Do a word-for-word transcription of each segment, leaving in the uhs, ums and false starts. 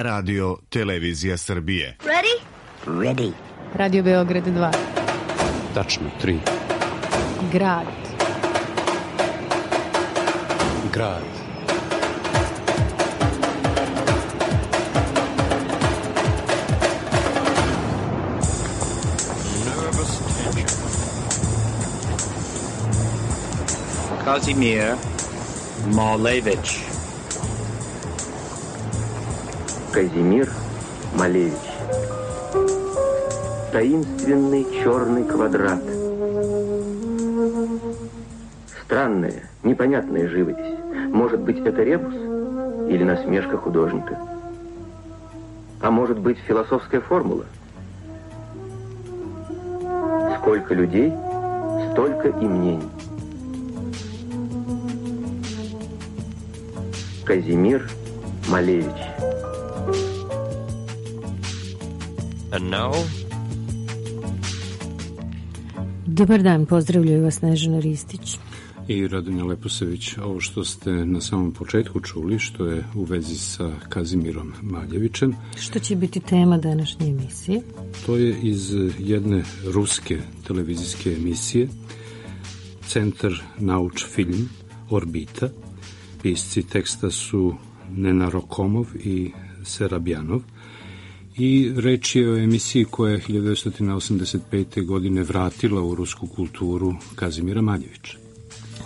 Radio Televizija Srbije. Ready? Ready. Radio Beograd dva. Tačno tri. Grad. Grad. Nervous tension. Kazimir Malevich. Казимир Малевич. Таинственный черный квадрат. Странная, непонятная живопись. Может быть, это ребус или насмешка художника? А может быть, философская формула? Сколько людей, столько и мнений. Казимир Малевич. And now? Dobar dan, pozdravljaju vas Snežana Ristić i Radonja Leposević. Ovo što ste na samom početku čuli, što je u vezi sa Kazimirom Maljevićem. Što će biti tema današnje emisije? To je iz jedne ruske televizijske emisije Centar Nauč Film Orbita. Pisci teksta su Nena Rokomov i Serabjanov. I reč je o emisiji koja je hiljadu devetsto osamdeset pete. godine vratila u rusku kulturu Kazimira Maljevića.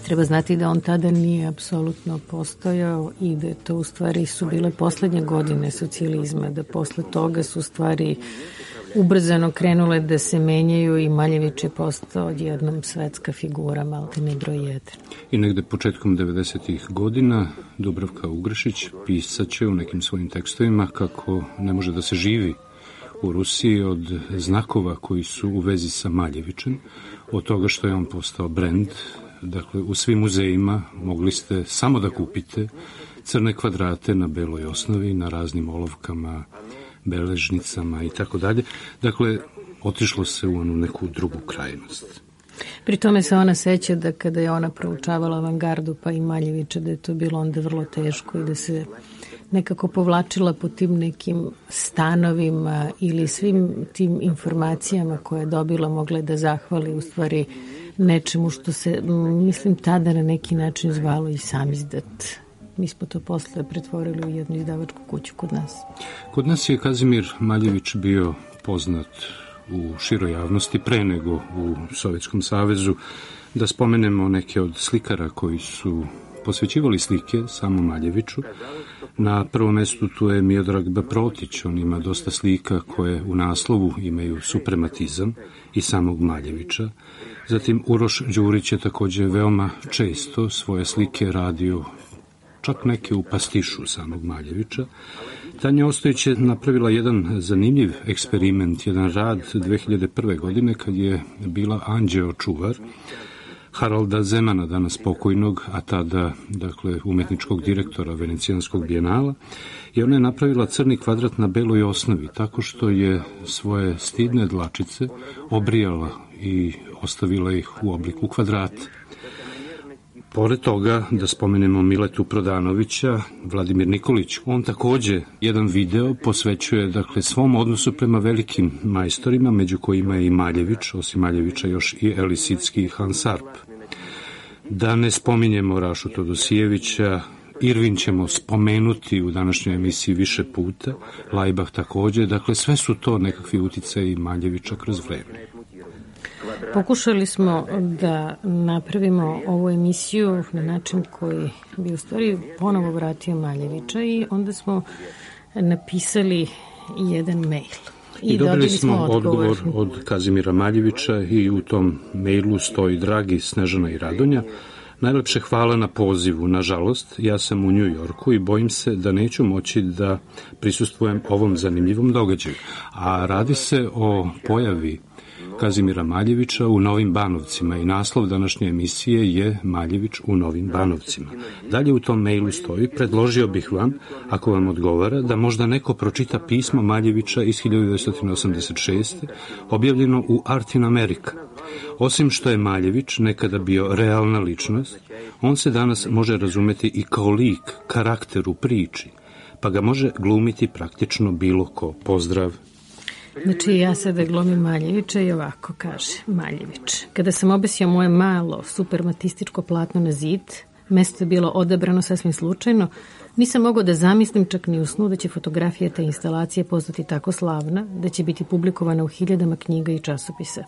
Treba znati da on tada nije apsolutno postojao i da to u stvari su bile poslednje godine socijalizma, da posle toga su stvari ubrzano krenule da se menjaju i Maljević je postao odjednom svetska figura, maltene broj jedan. I negde početkom devedesetih godina Dubravka Ugrešić pisaće u nekim svojim tekstovima kako ne može da se živi u Rusiji od znakova koji su u vezi sa Maljevićem, od toga što je on postao brend. Dakle, u svim muzejima mogli ste samo da kupite crne kvadrate na beloj osnovi, na raznim olovkama, beležnicama i tako dalje. Dakle, otišlo se u onu neku drugu krajnost. Pri tome se ona seća da kada je ona proučavala avangardu pa i Maljevića, da je to bilo onda vrlo teško i da se nekako povlačila po tim nekim stanovima ili svim tim informacijama koje je dobila, mogla da zahvali u stvari nečemu što se, mislim, tada na neki način zvalo i samizdat. Mi smo to posle pretvorili u jednu izdavačku kuću kod nas. Kod nas je Kazimir Maljević bio poznat u široj javnosti pre nego u Sovjetskom savezu. Da spomenemo neke od slikara koji su posvećivali slike samom Maljeviću. Na prvom mestu tu je Miodrag Baprotić, on ima dosta slika koje u naslovu imaju suprematizam i samog Maljevića. Zatim Uroš Đurić je takođe veoma često svoje slike radio, čak neke u pastišu samog Maljevića. Tanja Ostojić je napravila jedan zanimljiv eksperiment, jedan rad dve hiljade prve. godine kad je bila anđeo čuvar Haralda Zemana, danas pokojnog, a tada, dakle, umetničkog direktora Venecijanskog bijenala, i ona je napravila crni kvadrat na beloj osnovi, tako što je svoje stidne dlačice obrijala i ostavila ih u obliku kvadrata. Pored toga, da spomenemo Miletu Prodanovića, Vladimir Nikolić, on takođe jedan video posvećuje, dakle, svom odnosu prema velikim majstorima, među kojima je i Maljević, osim Maljevića još i Elisicki i Hans Arp. Da ne spominjemo Rašu Todosijevića, Irvin ćemo spomenuti u današnjoj emisiji više puta, Lajbah takođe, dakle, sve su to nekakvi uticaji Maljevića kroz vreme. Pokušali smo da napravimo ovu emisiju na način koji bi u stvari ponovo vratio Maljevića i onda smo napisali jedan mail. I, I dobili smo odgovor. odgovor od Kazimira Maljevića i u tom mailu stoji: dragi Snežana i Radonja, najlepše hvala na pozivu. Nažalost, ja sam u New Yorku i bojim se da neću moći da prisustvujem ovom zanimljivom događaju. A radi se o pojavi Kazimira Maljevića u Novim Banovcima i naslov današnje emisije je Maljević u Novim Banovcima. Dalje u tom mailu stoji: predložio bih vam, ako vam odgovara, da možda neko pročita pismo Maljevića iz hiljadu devetsto osamdeset šeste. objavljeno u Art in America. Osim što je Maljević nekada bio realna ličnost, on se danas može razumeti i kao lik, karakter u priči, pa ga može glumiti praktično bilo ko. Pozdrav. Znači, ja sada glumim Maljevića i ovako kaže Maljević. Kada sam obesio moje malo supermatističko platno na zid, mesto je bilo odabrano sasvim slučajno, nisam mogao da zamislim čak ni u snu da će fotografija te instalacije postati tako slavna, da će biti publikovana u hiljadama knjiga i časopisa.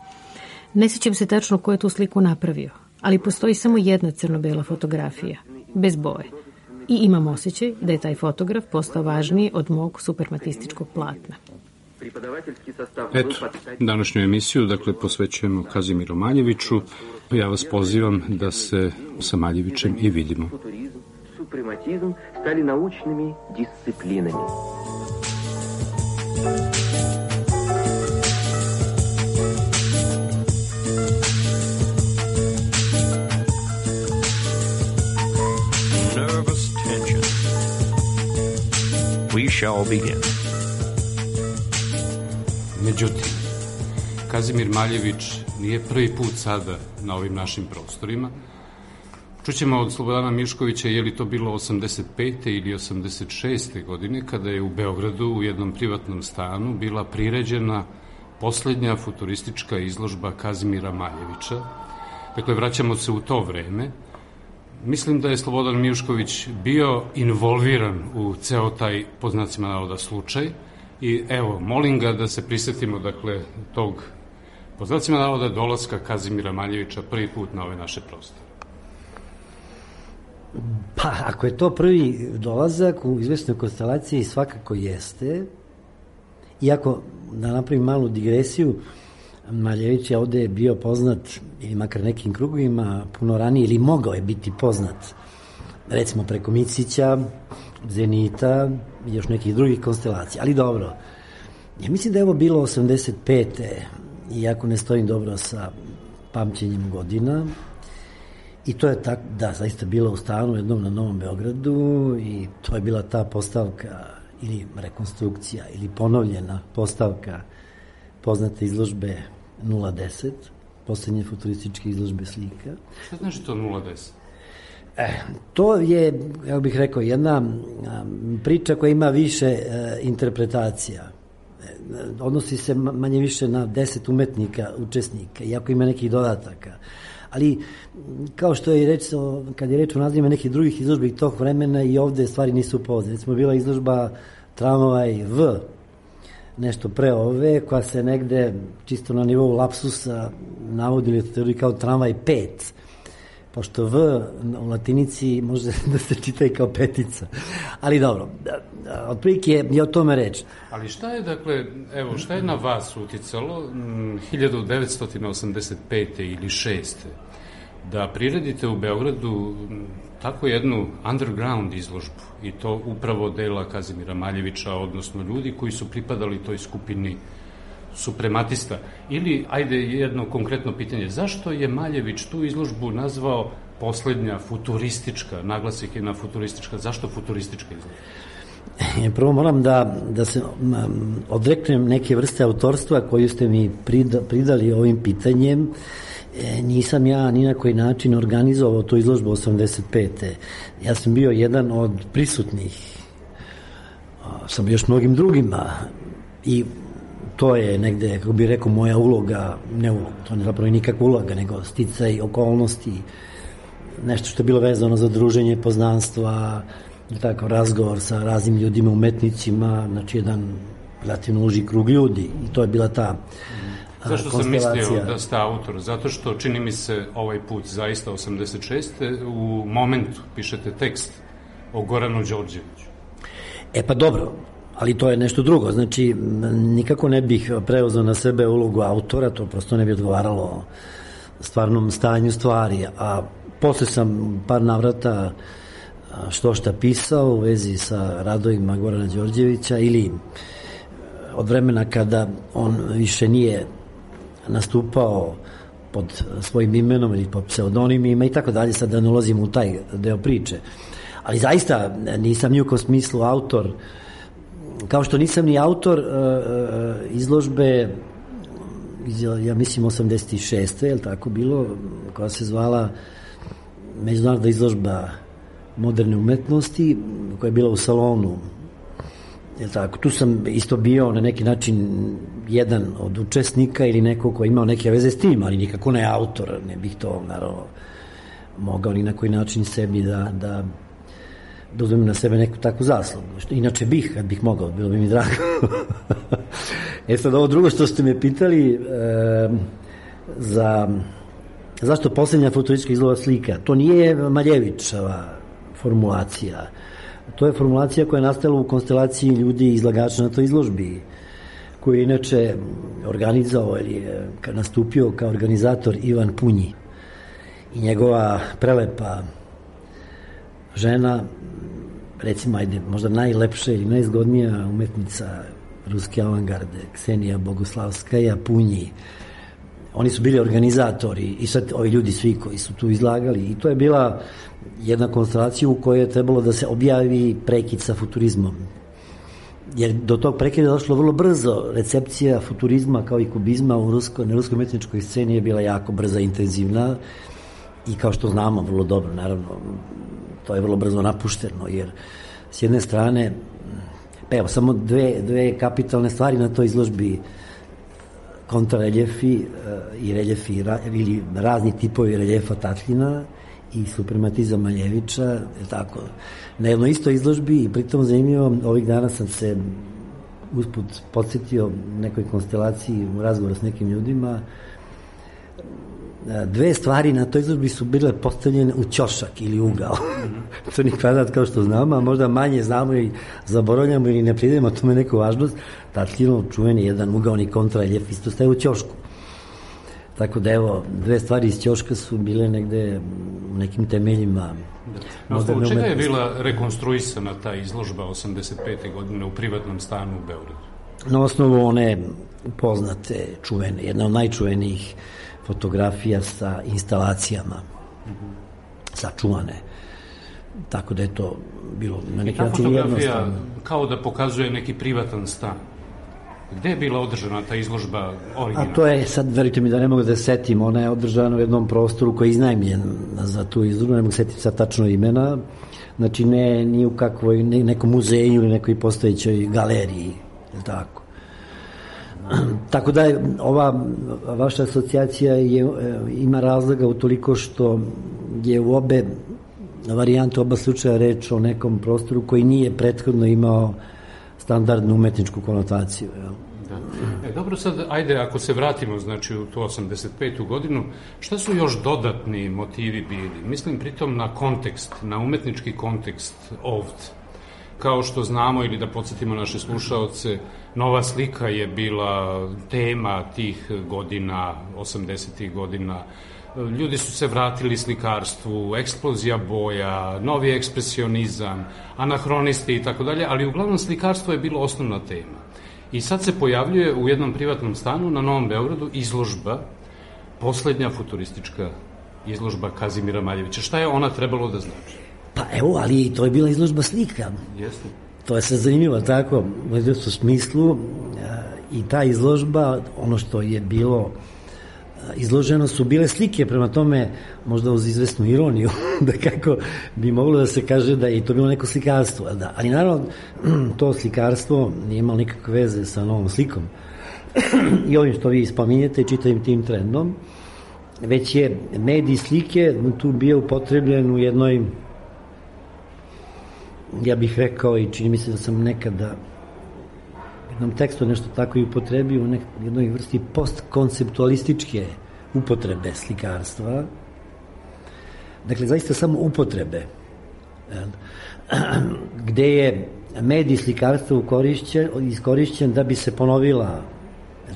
Ne sjećam se tačno ko je tu sliku napravio, ali postoji samo jedna crno-bela fotografija, bez boje. I imam osjećaj da je taj fotograf postao važniji od mog supermatističkog platna. Eto, današnju emisiju, dakle, posvećujemo Kazimiru Maljeviću. Ja vas pozivam da se sa Maljevićem i vidimo. Suprematizm stali naučnimi disciplinami. Nervous tension. We shall begin. Međutim, Kazimir Maljević nije prvi put sada na ovim našim prostorima. Čućemo od Slobodana Miškovića je li to bilo osamdeset pete ili osamdeset šeste godine kada je u Beogradu u jednom privatnom stanu bila priređena poslednja futuristička izložba Kazimira Maljevića. Dakle, vraćamo se u to vreme. Mislim da je Slobodan Mišković bio involviran u ceo taj, po znacima navoda, slučaj. I evo, molim ga da se prisetimo, dakle, tog, po znacima navoda, dolaska Kazimira Maljevića prvi put na ove naše prostore. Pa, ako je to prvi dolazak u izvesnoj konstelaciji, svakako jeste. Iako, da napravim malu digresiju, Maljević je ovde bio poznat, ili makar nekim krugovima, puno ranije, ili mogao je biti poznat, recimo preko Micića, Zenita i još nekih drugih konstelacija. Ali dobro, ja mislim da je ovo bilo osamdeset pete, iako ne stojim dobro sa pamćenjem godina, i to je tako, da, zaista bilo u stanu jednom na Novom Beogradu i to je bila ta postavka ili rekonstrukcija ili ponovljena postavka poznate izložbe nula deset, poslednje futurističke izložbe slika. Šta znači to nula deset? E, to je, ja bih rekao, jedna priča koja ima više e, interpretacija. E, odnosi se manje više na deset umetnika, učesnika, iako ima nekih dodataka. Ali, kao što je reč, kad je reč o nazivima nekih drugih izložbi tog vremena, i ovde stvari nisu poznate. Recimo, bila izložba Tramvaj V, nešto pre ove, koja se negde čisto na nivou lapsusa navodi literaturi kao Tramvaj pet, pošto V u latinici može da se čita i kao petica. Ali dobro, otprilike je o tome reč. Ali šta je, dakle, evo, šta je na vas uticalo hiljadu devetsto osamdeset pete ili šeste da priredite u Beogradu tako jednu underground izložbu, i to upravo dela Kazimira Maljevića, odnosno ljudi koji su pripadali toj skupini suprematista? Ili, ajde, jedno konkretno pitanje, zašto je Maljević tu izložbu nazvao poslednja futuristička, naglasik je na futuristička, zašto futuristička izložba? Prvo moram da, da se odreknem neke vrste autorstva koju ste mi prida, pridali ovim pitanjem. E, nisam ja ni na koji način organizovao tu izložbu osamdeset pete. Ja sam bio jedan od prisutnih sa još mnogim drugima i to je negde, kako bih rekao, moja uloga, ne uloga, to ne zapravo nikakva uloga, nego sticaj okolnosti, nešto što je bilo vezano za druženje, poznanstva, tako, razgovor sa raznim ljudima, umetnicima, znači jedan relativno uži krug ljudi, i to je bila ta Zašto sam mislio da ste autor? Zato što, čini mi se, ovaj put zaista osamdeset šeste u momentu pišete tekst o Goranu Đorđeviću. E pa dobro, ali to je nešto drugo. Znači, nikako ne bih preuzeo na sebe ulogu autora, to prosto ne bi odgovaralo stvarnom stanju stvari. A posle sam par navrata što šta pisao u vezi sa radovima Gorana Đorđevića, ili od vremena kada on više nije nastupao pod svojim imenom ili pod pseudonimima i tako dalje, sad da ne ulazim u taj deo priče. Ali zaista nisam ni u kom smislu autor, kao što nisam ni autor uh, izložbe iz, ja mislim osamdeset šeste, je li tako bilo, koja se zvala Međunarodna izložba moderne umetnosti, koja je bila u salonu Jel tako? Tu sam isto bio na neki način jedan od učesnika ili neko ko imao neke veze s tim, ali nikako ne autor, ne bih to naravno mogao ni na koji način sebi da, da dozvim na sebe neku takvu zaslugu. Inače bih, kad bih mogao, bilo bi mi drago. E sad, ovo drugo što ste me pitali, e, za zašto posljednja futuristička izložba slika, to nije Maljevićeva formulacija. To je formulacija koja je nastala u konstelaciji ljudi izlagača na toj izložbi, koji je inače organizovao ili je nastupio kao organizator Ivan Punji i njegova prelepa žena, recimo, ajde, možda najlepša ili najzgodnija umetnica ruske avangarde, Ksenija Boguslavskaja Punji. Oni su bili organizatori i sad ovi ljudi svi koji su tu izlagali i to je bila jedna konstelacija u kojoj je trebalo da se objavi prekid sa futurizmom. Jer do tog prekida je došlo vrlo brzo. Recepcija futurizma kao i kubizma u ruskoj, na ruskoj umetničkoj sceni je bila jako brza, intenzivna i kao što znamo vrlo dobro, naravno, to je vrlo brzo napušteno, jer s jedne strane, pa evo, samo dve, dve kapitalne stvari na toj izložbi, kontrareljefi i reljefi ili razni tipovi reljefa Tatljina i suprematizam Maljevića, je tako, na jednoj istoj izložbi i pritom zanimljivo, ovih dana sam se usput podsjetio nekoj konstelaciji u razgovoru s nekim ljudima, dve stvari na toj izložbi su bile postavljene u ćošak ili ugao. To ni kvadrat kao što znamo, a možda manje znamo i zaboravljamo ili ne pridemo tome neku važnost. Tatljinov čuveni jedan ugaoni kontrareljef isto staje u ćošku. Tako da evo, dve stvari iz ćoška su bile negde u nekim temeljima. Na osnovu čega je bila rekonstruisana ta izložba osamdeset pete godine u privatnom stanu u Beogradu? Na osnovu one poznate, čuvene, jedna od najčuvenijih fotografija sa instalacijama sačuvane. Tako da je to bilo na neki način jednostavno. I ta fotografija kao da pokazuje neki privatan stan. Gde je bila održana ta izložba originalna? A to je, sad verujte mi da ne mogu da se setim, ona je održana u jednom prostoru koji je iznajmljen za tu izložbu, ne mogu setiti sad tačno imena, znači ne ni u kakvoj, ne, nekom muzeju ili nekoj postojećoj galeriji, je tako. Tako da je, ova vaša asocijacija je, ima razloga utoliko što je u obe varijante, oba slučaja reč o nekom prostoru koji nije prethodno imao standardnu umetničku konotaciju. Ja. Da. E, dobro, sad, ajde, ako se vratimo, znači, u tu osamdeset petu godinu, šta su još dodatni motivi bili? Mislim pritom na kontekst, na umetnički kontekst ovde. Kao što znamo, ili da podsjetimo naše slušaoce, Nova slika je bila tema tih godina, osamdesetih godina. Ljudi su se vratili slikarstvu, eksplozija boja, novi ekspresionizam, anahronisti i tako dalje, ali uglavnom slikarstvo je bilo osnovna tema. I sad se pojavljuje u jednom privatnom stanu na Novom Beogradu izložba, poslednja futuristička izložba Kazimira Maljevića. Šta je ona trebalo da znači? Pa evo, ali to je bila izložba slika. Jeste. To je sad zanimljivo, tako, u smislu i ta izložba, ono što je bilo izloženo su bile slike, prema tome možda uz izvesnu ironiju da kako bi moglo da se kaže da je to bilo neko slikarstvo, da. Ali naravno to slikarstvo nije imalo nikakve veze sa novom slikom i ovim što vi spominjete čitavim tim trendom, već je medij slike tu bio upotrebljen u jednoj, ja bih rekao i čini mi se da sam nekada jednom tekstu nešto tako i upotrebio u jednoj vrsti postkonceptualističke upotrebe slikarstva. Dakle, zaista samo upotrebe. Gde je medij slikarstva iskorišćen da bi se ponovila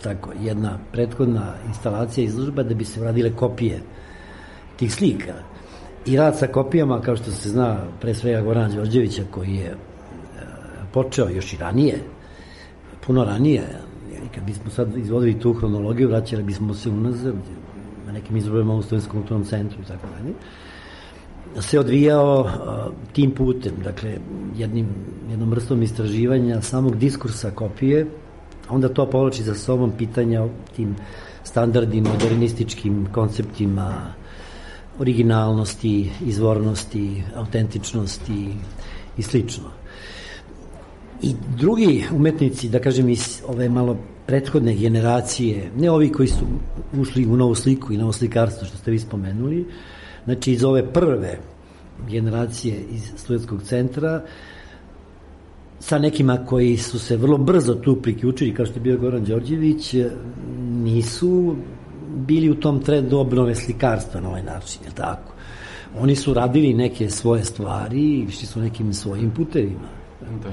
tako, jedna prethodna instalacija izložba, da bi se radile kopije tih slika. I rad sa kopijama, kao što se zna, pre svega Gorana Đorđevića, koji je počeo još i ranije, puno ranije, kad bismo sad izvodili tu hronologiju, vraćali bismo se unazad na nekim izložbama u Slovenskom kulturnom centru i tako dalje, se odvijao tim putem, dakle, jednim, jednom vrstom istraživanja samog diskursa kopije, onda to povlači za sobom pitanja o tim standardnim, modernističkim konceptima originalnosti, izvornosti, autentičnosti i slično. I drugi umetnici, da kažem iz ove malo prethodne generacije, ne ovi koji su ušli u novu sliku i novo slikarstvo što ste vi spomenuli, znači iz ove prve generacije iz Studentskog centra, sa nekima koji su se vrlo brzo tu priključili, kao što je bio Goran Đorđević, nisu bili u tom trendu obnove slikarstva na ovaj način, je tako? Oni su radili neke svoje stvari i išli su nekim svojim putevima. Da.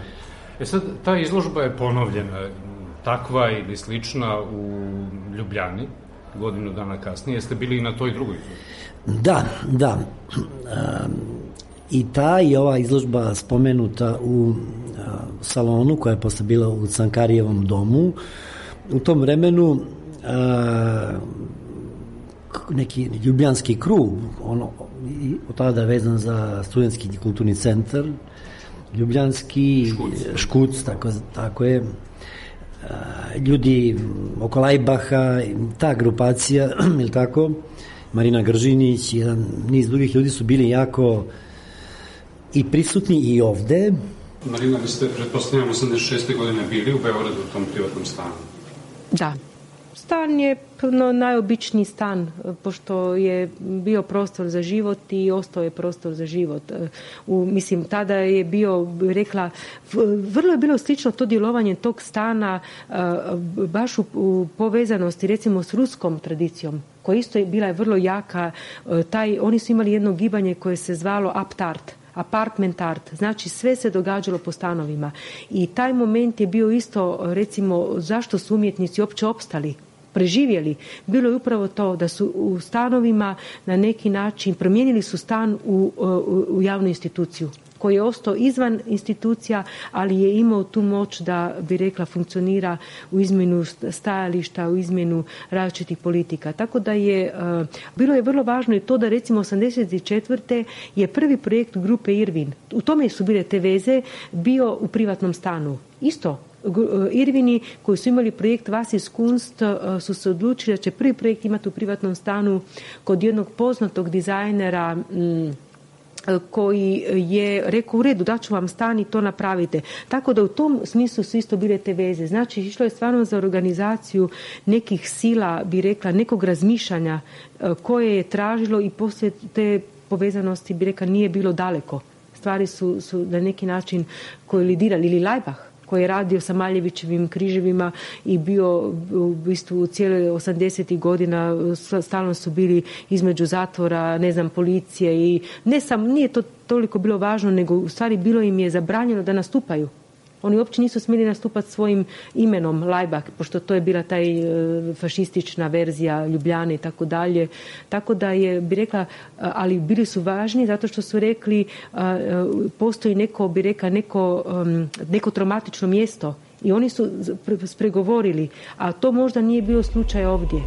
E sad, ta izložba je ponovljena, takva ili slična u Ljubljani, godinu dana kasnije. Jeste bili i na toj drugoj izložbi? Da, da. Um, I ta i ova izložba spomenuta u uh, salonu, koja je posle bila u Cankarijevom domu, u tom vremenu uh, neki ljubljanski krug, ono, od tada vezan za studentski kulturni centar, ljubljanski Škuc, škuc tako, tako je, ljudi oko Lajbaha, ta grupacija, ili tako, Marina Gržinić, jedan niz drugih ljudi su bili jako i prisutni i ovde. Marina, vi ste, pretpostavljamo, osamdeset šeste godine bili u Beogradu u tom privatnom stanu. Da. Stan je no, najobičniji stan, pošto je bio prostor za život i ostao je prostor za život. U, mislim, tada je bio, rekla, vrlo je bilo slično to djelovanje tog stana baš u, u povezanosti, recimo, s ruskom tradicijom, koja isto je bila je vrlo jaka. Taj, oni su imali jedno gibanje koje se zvalo Aptart. Apartment art, znači sve se događalo po stanovima i taj moment je bio isto, recimo, zašto su umjetnici uopće opstali, preživjeli, bilo je upravo to da su u stanovima na neki način promijenili su stan u, u, u javnu instituciju koji je ostao izvan institucija, ali je imao tu moć da, bi rekla, funkcionira u izmjenu stajališta, u izmjenu različitih politika. Tako da je, uh, bilo je vrlo važno i to da, recimo, osamdeset četvrte je prvi projekt grupe Irvin, u tome su bile te veze, bio u privatnom stanu. Isto, Irvini koji su imali projekt Was ist Kunst su se odlučili da će prvi projekt imati u privatnom stanu kod jednog poznatog dizajnera m, koji je rekao u redu, daću vam stan i to napravite. Tako da u tom smislu su isto bile te veze. Znači, išlo je stvarno za organizaciju nekih sila, bi rekla, nekog razmišljanja koje je tražilo i poslije te povezanosti, bi rekla, nije bilo daleko. Stvari su, su na neki način kolidirali. Ili Lajbah, koji je radio sa Maljevićevim križevima i bio u bistvu cijele osamdesetih godina, stalno su bili između zatvora, ne znam, policije i ne sam, nije to toliko bilo važno, nego u stvari bilo im je zabranjeno da nastupaju. Oni uopće nisu smjeli nastupati svojim imenom Lajbah, pošto to je bila taj fašistična verzija Ljubljane i tako dalje. Tako da je, bi rekla, ali bili su važni zato što su rekli postoji neko, bi rekla, neko, neko traumatično mjesto i oni su spregovorili, a to možda nije bio slučaj ovdje.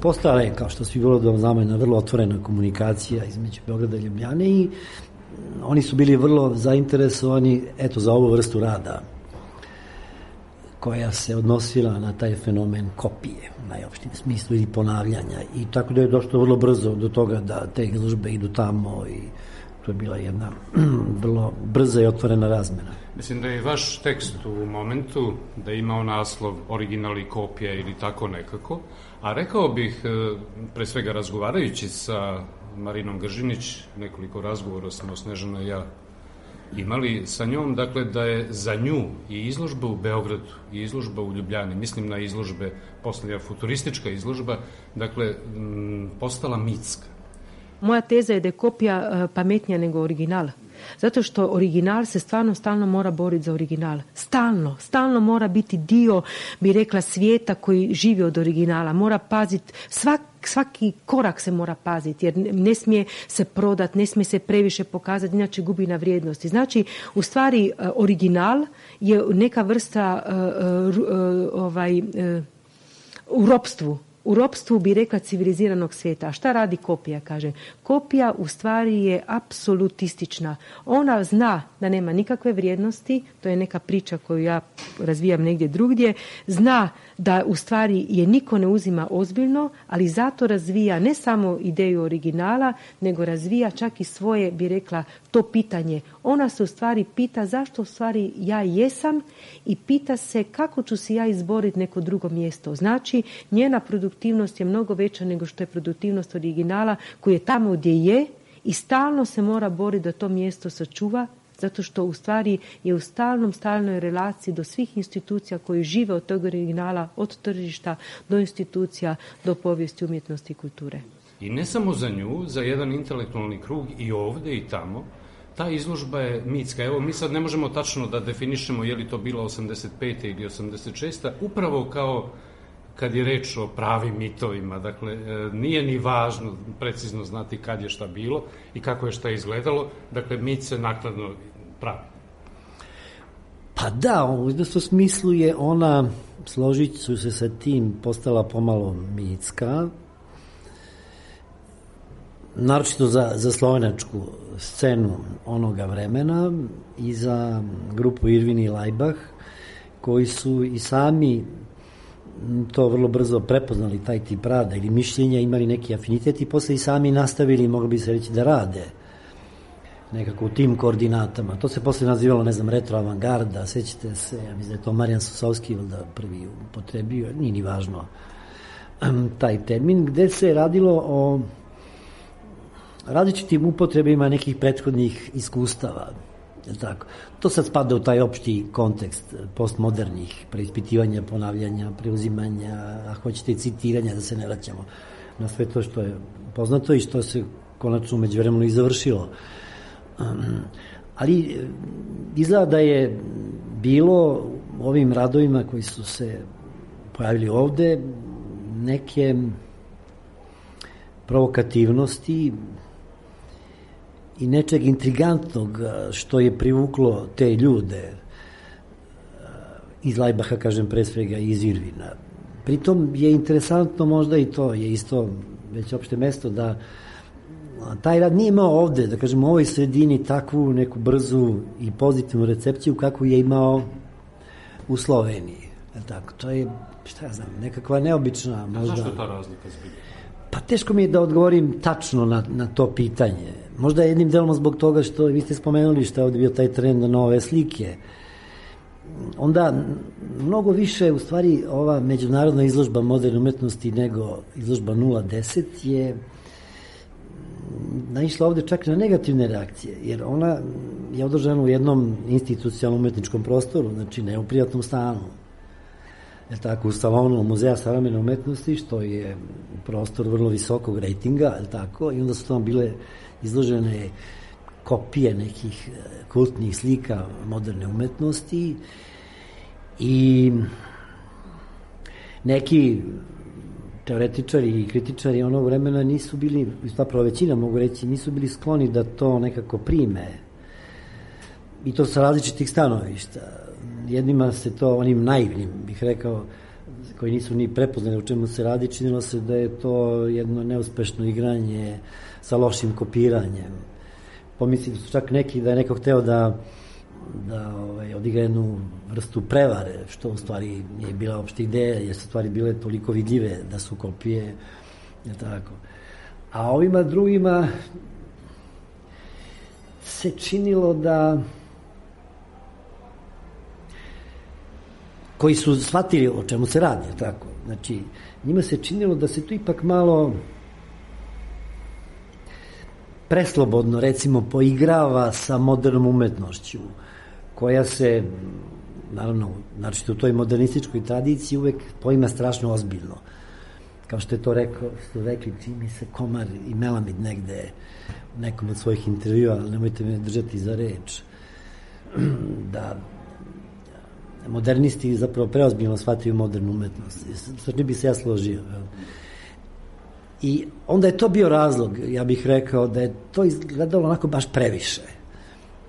postala je, kao što svi vrlo dobro znamo, jedna vrlo otvorena komunikacija između Beograda i Ljubljane i oni su bili vrlo zainteresovani, eto, za ovu vrstu rada koja se odnosila na taj fenomen kopije, u najopštijem smislu, ili ponavljanja. I tako da je došlo vrlo brzo do toga da te izložbe idu tamo i to je bila jedna vrlo brza i otvorena razmena. Mislim da je vaš tekst u momentu da je imao naslov original i kopija ili tako nekako, a rekao bih, pre svega razgovarajući sa Marinom Gržinić, nekoliko razgovora smo Snežana i ja imali sa njom, dakle da je za nju i izložba u Beogradu i izložba u Ljubljani, mislim na izložbe, posljednja futuristička izložba, dakle m, postala mitska. Moja teza je da je kopija pametnija nego original. Zato što original se stvarno stalno mora boriti za original. Stalno, stalno mora biti dio, bi rekla, svijeta koji živi od originala. Mora paziti, svak, svaki korak se mora paziti, jer ne smije se prodati, ne smije se previše pokazati, inače gubi na vrijednosti. Znači, u stvari, original je neka vrsta uh, uh, ovaj, uh, u ropstvu. U ropstvu bi rekla civiliziranog svijeta. A šta radi kopija, kaže? Kopija u stvari je apsolutistična. Ona zna da nema nikakve vrijednosti, to je neka priča koju ja razvijam negdje drugdje, zna da u stvari je niko ne uzima ozbiljno, ali zato razvija ne samo ideju originala, nego razvija čak i svoje, bi rekla, to pitanje. Ona se u stvari pita zašto u stvari ja jesam i pita se kako ću se ja izboriti neko drugo mjesto. Znači, njena produktivnost je mnogo veća nego što je produktivnost originala koji je tamo gdje je i stalno se mora boriti da to mjesto sačuva, zato što u stvari je u stalnom, stalnoj relaciji do svih institucija koji žive od tog originala, od tržišta do institucija, do povijesti, umjetnosti i kulture. I ne samo za nju, za jedan intelektualni krug i ovdje i tamo, ta izložba je mitska. Evo, mi sad ne možemo tačno da definišemo je li to bila osamdeset pete ili osamdeset šeste upravo kao kad je reč o pravim mitovima. Dakle, nije ni važno precizno znati kad je šta bilo i kako je šta izgledalo. Dakle, mit se nakladno pravi. Pa da, u izvesnom smislu je ona, složit ću se sa tim, postala pomalo mitska, naročito za, za slovenačku scenu onoga vremena i za grupu Irvin i Laibach, koji su i sami to vrlo brzo prepoznali, taj tip rada ili mišljenja, imali neki afinitet i posle i sami nastavili, mogli bi se reći, da rade nekako u tim koordinatama. To se posle nazivalo, ne znam, retro avangarda, sećate se, ja mislim da je to Marijan Sosovski da prvi upotrebio, nije ni važno taj termin, gde se radilo o različitim upotrebima nekih prethodnih iskustava. Tako. To sad spada u taj opšti kontekst postmodernih preispitivanja, ponavljanja, preuzimanja, a hoćete i citiranja, da se ne vraćamo na sve to što je poznato i što se konačno umeđu vremenu i završilo. Um, ali izgleda da je bilo u ovim radovima koji su se pojavili ovde neke provokativnosti i nečeg intrigantnog što je privuklo te ljude iz Laibacha, kažem, pre svega iz Irvina. Pritom je interesantno možda i to, je isto već opšte mesto, da taj rad nije imao ovde, da kažem, u ovoj sredini takvu neku brzu i pozitivnu recepciju kakvu je imao u Sloveniji. Tako, to je, šta ja znam, nekakva neobična možda... A zašto je ta razlika zbilja? Pa teško mi je da odgovorim tačno na, na to pitanje. Možda jednim delom zbog toga što vi ste spomenuli što je ovdje bio taj trend na nove slike. Onda mnogo više, u stvari, ova međunarodna izložba moderne umetnosti nego izložba nula deset je naišla ovde čak na negativne reakcije, jer ona je održana u jednom institucionalnom umetničkom prostoru, znači ne u prijatnom stanu. Je tako, u salonu Muzeja savremene umetnosti, što je prostor vrlo visokog rejtinga, je tako, i onda su tamo bile izložene kopije nekih kultnih slika moderne umetnosti i neki teoretičari i kritičari onog vremena nisu bili, zapravo većina mogu reći, nisu bili skloni da to nekako prime. I to sa različitih stanovišta. Jednima se to, onim naivnim, bih rekao, koji nisu ni prepoznali u čemu se radi, činilo se da je to jedno neuspešno igranje sa lošim kopiranjem. Pomislili su čak neki da je neko hteo da, da ovaj, odigra jednu vrstu prevare, što u stvari nije bila uopšte ideja, jer su stvari bile toliko vidljive da su kopije, je tako. A ovima drugima se činilo da koji su shvatili o čemu se radi, tako. Znači, njima se činilo da se tu ipak malo preslobodno, recimo, poigrava sa modernom umetnošću, koja se, naravno, znači u toj modernističkoj tradiciji uvek poima strašno ozbiljno. Kao što je to rekao, što rekli, čini se Komar i Melamid negde u nekom od svojih intervjua, ali nemojte me držati za reč, da modernisti zapravo preozbiljno shvataju modernu umetnost. Sa čim bi se ja složio. I onda je to bio razlog, ja bih rekao, da je to izgledalo onako baš previše.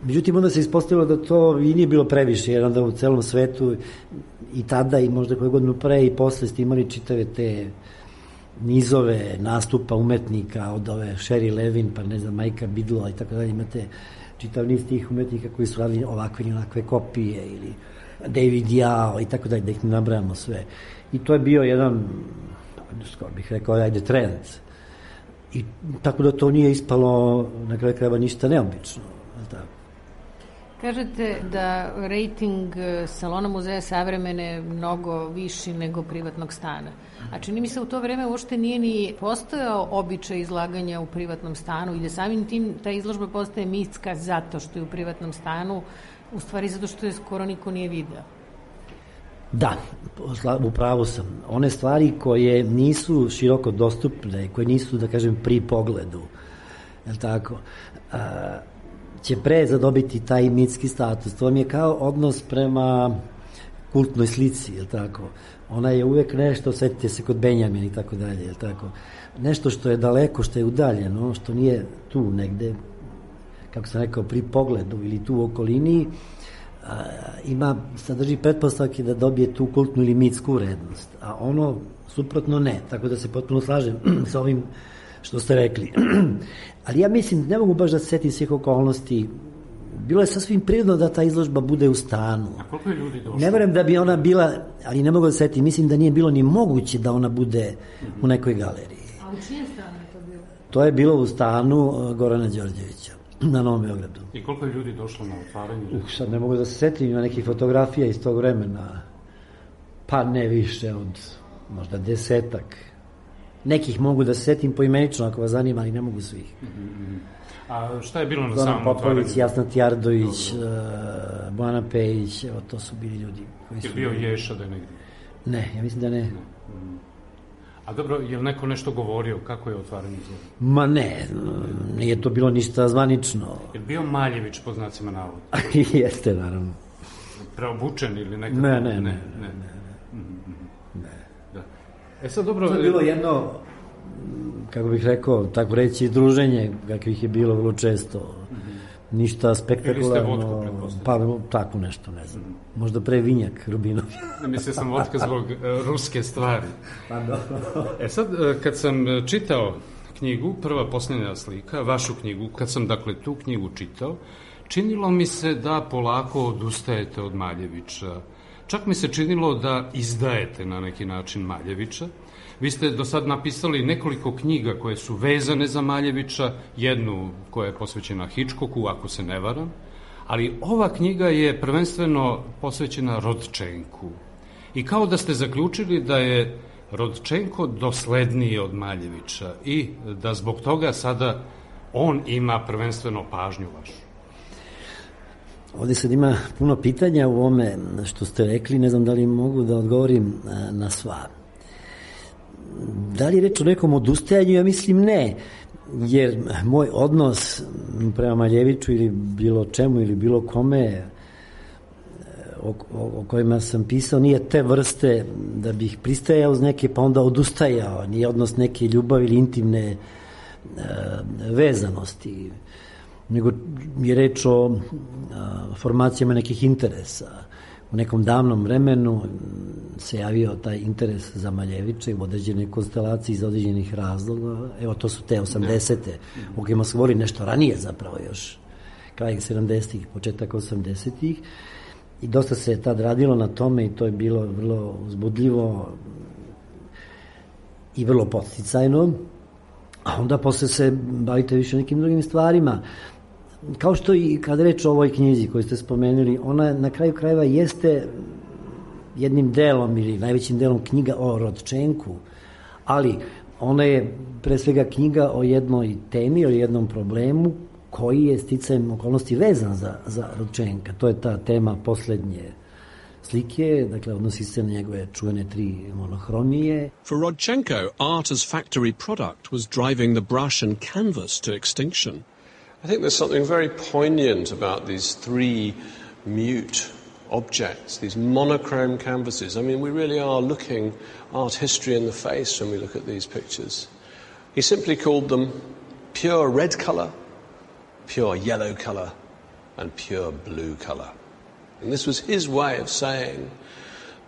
Međutim, onda se ispostavilo da to i nije bilo previše, jer onda u celom svetu i tada i možda koje godinu pre i posle ste imali čitave te nizove nastupa umetnika od ove Sherry Levin, pa ne znam, Majka Bidla i tako dalje. Imate čitav niz tih umetnika koji su radili ovakve i onakve kopije ili David Yao i tako dalje, da ih ne nabrajamo sve. I to je bio jedan, skoro bih rekao, ajde, trend. I tako da to nije ispalo na kraju krajeva ništa neobično. Tako. Kažete da rejting Salona muzeja savremene je mnogo viši nego privatnog stana. A čini mi se u to vreme uopšte nije ni postojao običaj izlaganja u privatnom stanu i da samim tim ta izložba postaje mitska zato što je u privatnom stanu, u stvari zato što je skoro niko nije video. Da, u pravu sam. One stvari koje nisu široko dostupne, koje nisu, da kažem, pri pogledu, je li tako, a, će pre zadobiti taj mitski status. To vam je kao odnos prema kultnoj slici, je li tako? Ona je uvek nešto, setite se kod Benjamin i tako dalje, je li tako? Nešto što je daleko, što je udaljeno, što nije tu negde, kako sam rekao, pri pogledu ili tu u okolini, a, ima, sadrži pretpostavke da dobije tu kultnu ili mitsku vrednost, a ono suprotno ne, tako da se potpuno slažem sa ovim što ste rekli. Ali ja mislim, ne mogu baš da se setim svih okolnosti. Bilo je sasvim prirodno da ta izložba bude u stanu. A koliko je ljudi došlo? Ne verujem da bi ona bila, ali ne mogu da se setim, mislim da nije bilo ni moguće da ona bude mm-hmm. u nekoj galeriji. A u čijem stanu je to bilo? To je bilo u stanu Gorana Đorđevića na Novom Beogradu. I koliko je ljudi došlo na otvaranje? Uh, sad ne mogu da se setim, ima nekih fotografija iz tog vremena. Pa ne više od možda desetak. Nekih mogu da se setim poimenično ako vas zanima, ali ne mogu svih. Mm-hmm. A šta je bilo na Zoran samom otvaranju? Popović, Jasna Tjardović, uh, Bojana Pejić, evo to su bili ljudi koji su... Je bio Ješa da je negdje? Ne, ja mislim da ne. ne. Mm. A dobro, je li neko nešto govorio? Kako je otvaranje izložbe? Ma ne, nije to bilo ništa zvanično. Je bio Maljević po znacima navoda? Jeste, naravno. Preobučen ili nekako? Ne, ne, ne. ne, ne. ne. ne. Da. E sad dobro... To je bilo jedno, kako bih rekao, tako reći, druženje, kakvih je bilo vrlo često. Mm-hmm. Ništa spektakularno. Ili ste vodku, pretpostavljam? Pa, tako nešto, ne znam. Mm-hmm. Možda pre vinjak Rubinov. Mislio sam vodka zbog uh, ruske stvari. Pa dobro. E sad, uh, kad sam čitao knjigu, Prva posljednja slika, vašu knjigu, kad sam, dakle, tu knjigu čitao, činilo mi se da polako odustajete od Maljevića. Čak mi se činilo da izdajete na neki način Maljevića. Vi ste do sad napisali nekoliko knjiga koje su vezane za Maljevića, jednu koja je posvećena Hitchcocku, ako se ne varam, ali ova knjiga je prvenstveno posvećena Rodčenku. I kao da ste zaključili da je Rodčenko dosledniji od Maljevića i da zbog toga sada on ima prvenstveno pažnju vašu. Ovdje sad ima puno pitanja u ome što ste rekli, ne znam da li mogu da odgovorim na sva. Da li je reč o nekom odustajanju? Ja mislim ne, jer moj odnos prema Maljeviću ili bilo čemu ili bilo kome o, o, o kojima sam pisao nije te vrste da bih pristajao uz neke pa onda odustajao, nije odnos neke ljubavi ili intimne e, vezanosti, nego je reč o a, formacijama nekih interesa u nekom davnom vremenu se javio taj interes za Maljevića i u određenoj konstelaciji iz određenih razloga. Evo, to su te osamdesete, u kojima se govori nešto ranije zapravo još, kraj sedamdesetih, početak osamdesetih. I dosta se je tad radilo na tome i to je bilo vrlo uzbudljivo i vrlo podsticajno. A onda posle se bavite više nekim drugim stvarima. Kao što i kada reč o ovoj knjizi koju ste spomenuli, ona na kraju krajeva jeste jednim delom ili najvećim delom knjiga o Rodčenku, ali ona je pre svega knjiga o jednoj temi, o jednom problemu koji je sticajem okolnosti vezan za, za Rodčenka. To je ta tema poslednje slike, dakle odnosi se na njegove čuvene tri monohromije. For Rodchenko, art as factory product was driving the brush and canvas to extinction. I think there's something very poignant about these three mute objects, these monochrome canvases. I mean, we really are looking art history in the face when we look at these pictures. He simply called them pure red color, pure yellow color, and pure blue color. And this was his way of saying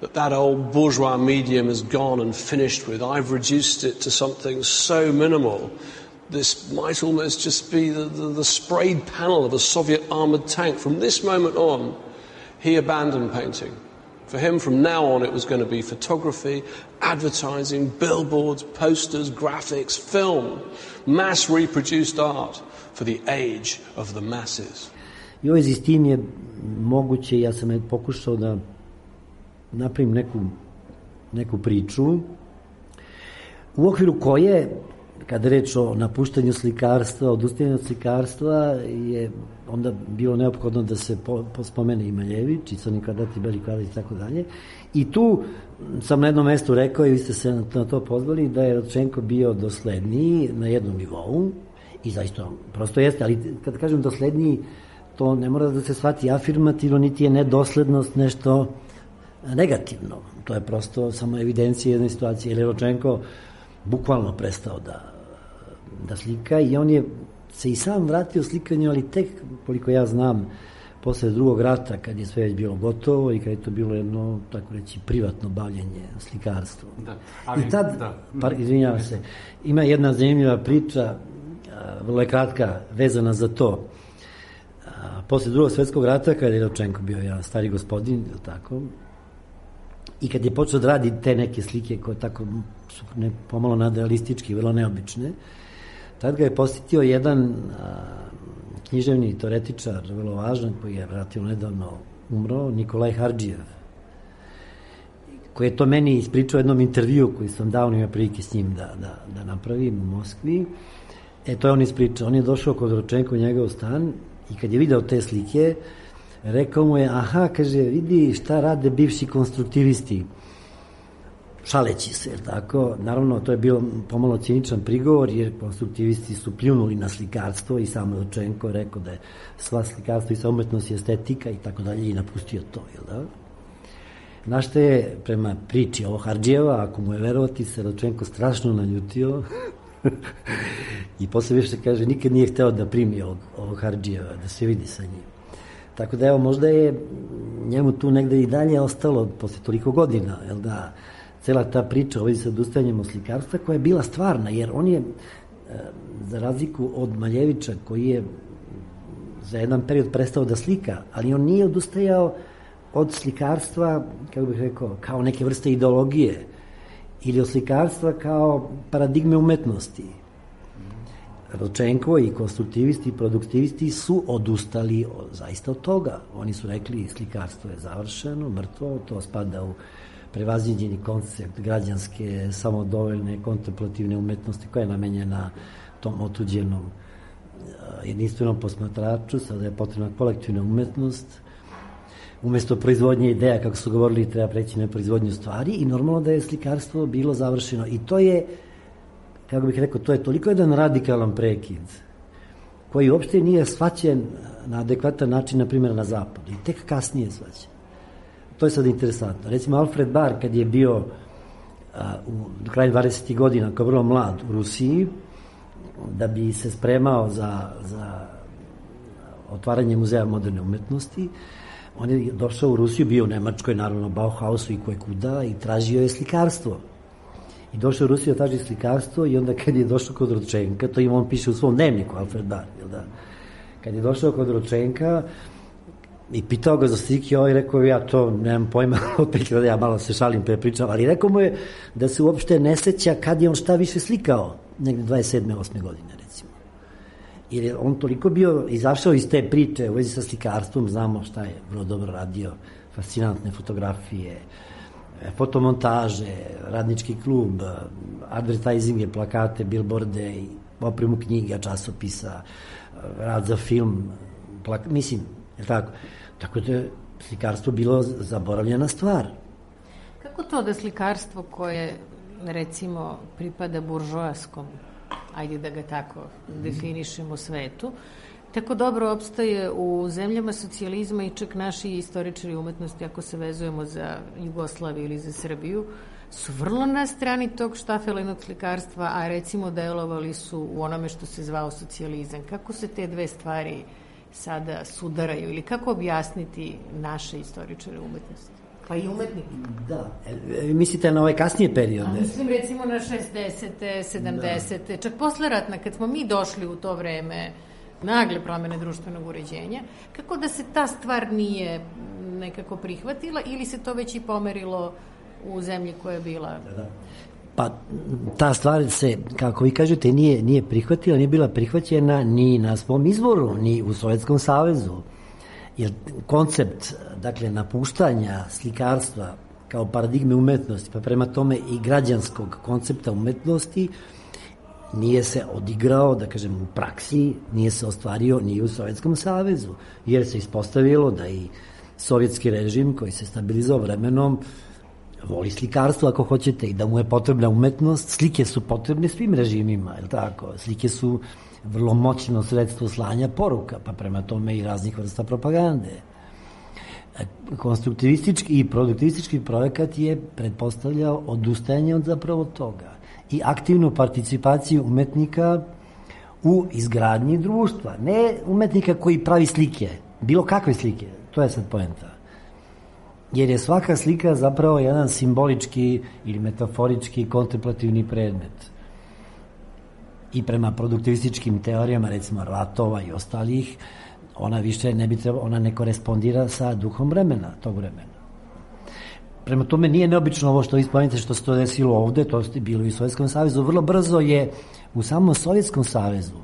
that that old bourgeois medium is gone and finished with. I've reduced it to something so minimal. This might almost just be the, the, the sprayed panel of a Soviet armored tank. From this moment on, he abandoned painting. For him, from now on, it was going to be photography, advertising, billboards, posters, graphics, film, mass reproduced art for the age of the masses. I u vezi s tim je moguće, ja sam pokušao da napravim neku, neku priču u okviru koje, kada reč o napuštanju slikarstva, odustajanju od slikarstva, je onda bilo neophodno da se po, pospomene i Maljević, i Crni kvadrat i Beli kvadrat i tako dalje. I tu sam na jednom mestu rekao, i vi ste se na to pozvali, da je Rodčenko bio dosledniji na jednom nivou, i zaista prosto jeste, ali kada kažem dosledniji, to ne mora da se shvati afirmativno, niti je nedoslednost nešto negativno. To je prosto samo evidencija jedne situacije. Jer je Rodčenko bukvalno prestao da, da slika i on je se i sam vratio slikanju, ali tek, koliko ja znam, posle drugog rata, kad je sve već bilo gotovo i kad je to bilo jedno, tako reći, privatno bavljenje slikarstvom. Da, ali, I tad, da. Par, izvinjavam se, ima jedna zanimljiva priča, vrlo je kratka, vezana za to. Posle drugog svetskog rata, kada je Rodčenko bio ja stari gospodin, tako, i kad je počeo da radi te neke slike koje tako su ne, pomalo nadrealistički, vrlo neobične, tad ga je posjetio jedan a, književni teoretičar, vrlo važan, koji je relativno nedavno umro, Nikolaj Hardžijev, koji je to meni ispričao u jednom intervju koji sam davno imao prilike s njim da, da, da napravim u Moskvi. E, to je on ispričao. On je došao kod Rodčenka u njegov stan i kad je video te slike, rekao mu je, aha, kaže, vidi šta rade bivši konstruktivisti, šaleći se, jer tako. Naravno, to je bio pomalo ciničan prigovor, jer konstruktivisti su pljunuli na slikarstvo i sam Rodčenko rekao da je sva slikarstvo i sva umetnost i estetika i tako dalje i napustio to, jel da? Na što je, prema priči ovo Hardžijeva, ako mu je verovati, se Rodčenko strašno naljutio i posle više kaže, nikad nije hteo da primi ovog, ovog Hardžijeva, da se vidi sa njim. Tako da, evo, možda je njemu tu negde i dalje ostalo posle toliko godina, jel da, cela ta priča o vezi sa odustajanjem od slikarstva, koja je bila stvarna, jer on je, za razliku od Maljevića, koji je za jedan period prestao da slika, ali on nije odustajao od slikarstva, kako bih rekao, kao neke vrste ideologije, ili od slikarstva kao paradigme umetnosti. Rodčenko i konstruktivisti i produktivisti su odustali od, zaista od toga. Oni su rekli slikarstvo je završeno, mrtvo, to spada u prevaziđeni koncept građanske, samodovoljne, kontemplativne umetnosti koja je namenjena tom otuđenom jedinstvenom posmatraču. Sada je potrebna kolektivna umetnost. Umesto proizvodnje ideja, kako su govorili, treba preći na proizvodnju stvari i normalno da je slikarstvo bilo završeno. I to je, kako bih rekao, to je toliko jedan radikalan prekid koji uopšte nije shvaćen na adekvatan način, na primjer, na zapadu. I tek kasnije shvaćen. To je sad interesantno. Recimo, Alfred Barr, kad je bio a, u kraju dvadesetih godina, kao vrlo mlad u Rusiji, da bi se spremao za, za otvaranje muzeja moderne umetnosti, on je došao u Rusiju, bio u Nemačkoj, naravno Bauhausu i koje kuda, i tražio je slikarstvo. I došao u Rusiju da traži slikarstvo i onda kad je došao kod Rodčenka, to ima on piše u svom dnevniku, Alfred Bar, jel da? Kad je došao kod Rodčenka i pitao ga za slike, ovaj rekao, ja to nemam pojma, opet da ja malo se šalim, prepričam, ali rekao mu je da se uopšte ne seća kad je on šta više slikao, negde dvadeset sedme osme godine, recimo. Jer je on toliko bio izašao iz te priče u vezi sa slikarstvom, znamo šta je vrlo dobro radio, fascinantne fotografije, fotomontaže, radnički klub, advertisinge, plakate, billboarde, opremu knjiga, časopisa, rad za film, plak... mislim, je tako? Tako da je slikarstvo bilo zaboravljena stvar. Kako to da slikarstvo koje, recimo, pripada buržoaskom, ajde da ga tako definišemo, svetu, tako dobro opstaje u zemljama socijalizma i čak naši istoričari umetnosti, ako se vezujemo za Jugoslaviju ili za Srbiju, su vrlo na strani tog štafelinog slikarstva, a recimo delovali su u onome što se zvao socijalizam. Kako se te dve stvari sada sudaraju ili kako objasniti naše istoričare umetnosti? Pa i umetnike. Da, e, mislite na ove kasnije periode? A mislim recimo na šezdesete, sedamdesete, da. Čak posle ratna, kad smo mi došli u to vreme nagle promene društvenog uređenja, kako da se ta stvar nije nekako prihvatila ili se to već i pomerilo u zemlji koja je bila... Da, da. Pa ta stvar se, kako vi kažete, nije, nije prihvatila, nije bila prihvaćena ni na svom izvoru, ni u Sovjetskom savezu. Jer koncept, dakle, napuštanja slikarstva kao paradigme umetnosti, pa prema tome i građanskog koncepta umetnosti, nije se odigrao, da kažem, u praksi, nije se ostvario ni u Sovjetskom savezu, jer se ispostavilo da i sovjetski režim, koji se stabilizao vremenom, voli slikarstvo, ako hoćete, i da mu je potrebna umetnost. Slike su potrebne svim režimima, je li tako? Slike su vrlo moćno sredstvo slanja poruka, pa prema tome i raznih vrsta propagande. Konstruktivistički i produktivistički projekat je pretpostavljao odustajanje od zapravo toga i aktivnu participaciju umetnika u izgradnji društva. Ne umetnika koji pravi slike, bilo kakve slike, to je sad poenta. Jer je svaka slika zapravo jedan simbolički ili metaforički kontemplativni predmet. I prema produktivističkim teorijama, recimo Ratova i ostalih, ona više ne bi trebala, ona ne korespondira sa duhom vremena, tog vremena. Prema tome nije neobično ovo što vi spomenite što se to desilo ovde, to je bilo i u Sovjetskom savezu. Vrlo brzo je u samom Sovjetskom savezu,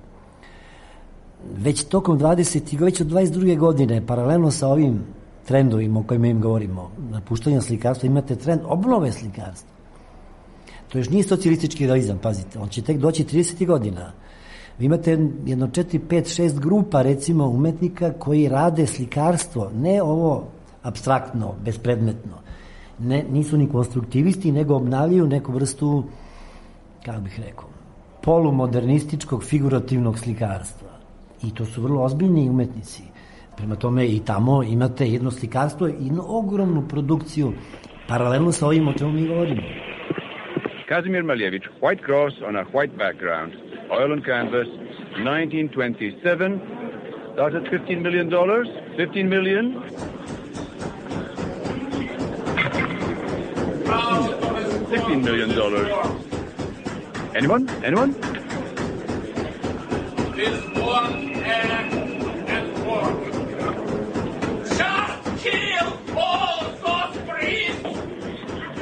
već tokom dvadesetih, već od dvadeset druge godine, paralelno sa ovim trendovima o kojima im govorimo, napuštanja slikarstva, imate trend obnove slikarstva. To još nije socijalistički realizam, pazite, on će tek doći tridesetih godina. Vi imate jedno četiri, pet, šest grupa, recimo, umetnika koji rade slikarstvo, ne ovo apstraktno, bespredmetno. Ne, nisu ni konstruktivisti, nego obnavljaju neku vrstu, kako bih rekao, polumodernističkog figurativnog slikarstva. I to su vrlo ozbiljni umetnici. Prema tome i tamo imate jedno slikarstvo i jednu ogromnu produkciju, paralelno sa ovim o čemu mi govorimo. Kazimir Malevich, White Cross on a white background, oil and canvas, nineteen twenty-seven, started fifteen million dollars, fifteen million. sixteen million dollars. Anyone? Anyone? This one and, and one. Just kill all those priests